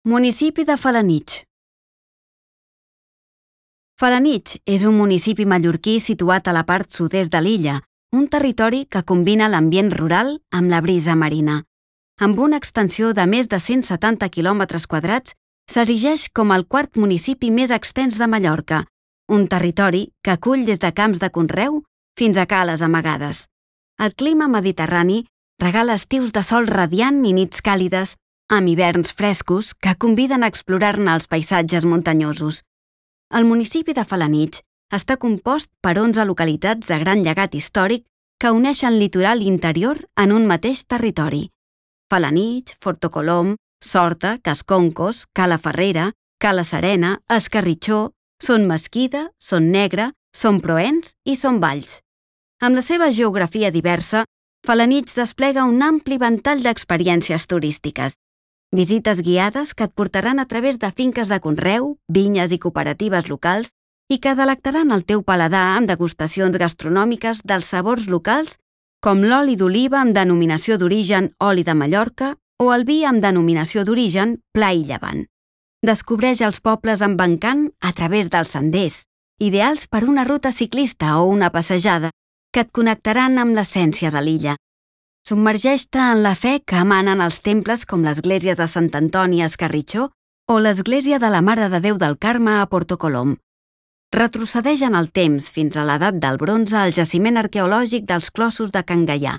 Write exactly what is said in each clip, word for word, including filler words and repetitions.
Municipi de Felanitx. Felanitx és un municipi mallorquí situat a la part sud-est de l'illa, un territori que combina l'ambient rural amb la brisa marina. Amb una extensió de més de cent setanta quilòmetres quadrats, s'erigeix com el quart municipi més extens de Mallorca, un territori que acull des de camps de conreu fins a cales amagades. El clima mediterrani regala estius de sol radiant i nits càlides, amb hiverns frescos que conviden a explorar-ne els paisatges muntanyosos. El municipi de Felanitx està compost per onze localitats de gran llegat històric que uneixen litoral i interior en un mateix territori. Felanitx, Fortocolom, Sorta, Casconcos, Cala Ferrera, Cala Serena, Escarritxó, Son Mesquida, Son Negre, Son Proens i Son Valls. Amb la seva geografia diversa, Felanitx desplega un ampli ventall d'experiències turístiques. Visites guiades que et portaran a través de finques de conreu, vinyes i cooperatives locals i que delectaran el teu paladar amb degustacions gastronòmiques dels sabors locals com l'oli d'oliva amb denominació d'origen oli de Mallorca o el vi amb denominació d'origen Pla i Llevant. Descobreix els pobles amb encant a través dels senders, ideals per una ruta ciclista o una passejada que et connectaran amb l'essència de l'illa. Submergeix-te en la fe que emanen els temples com l'església de Sant Antoni a Escarritxó o l'església de la Mare de Déu del Carme a Portocolom. Retrocedeix en el temps fins a l'edat del bronze al jaciment arqueològic dels clossos de Can Gaià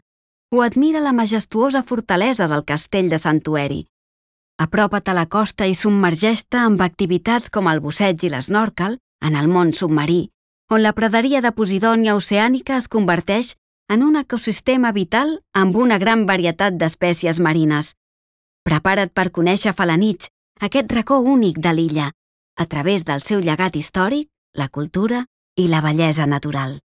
o admira la majestuosa fortalesa del castell de Sant Oeri. Apropa't a la costa i submergeix-te amb activitats com el busseig i l'esnòrquel en el món submarí, on la praderia de Posidònia oceànica es converteix en un ecosistema vital amb una gran varietat d'espècies marines. Prepara't per conèixer Felanitx, aquest racó únic de l'illa, a través del seu llegat històric, la cultura i la bellesa natural.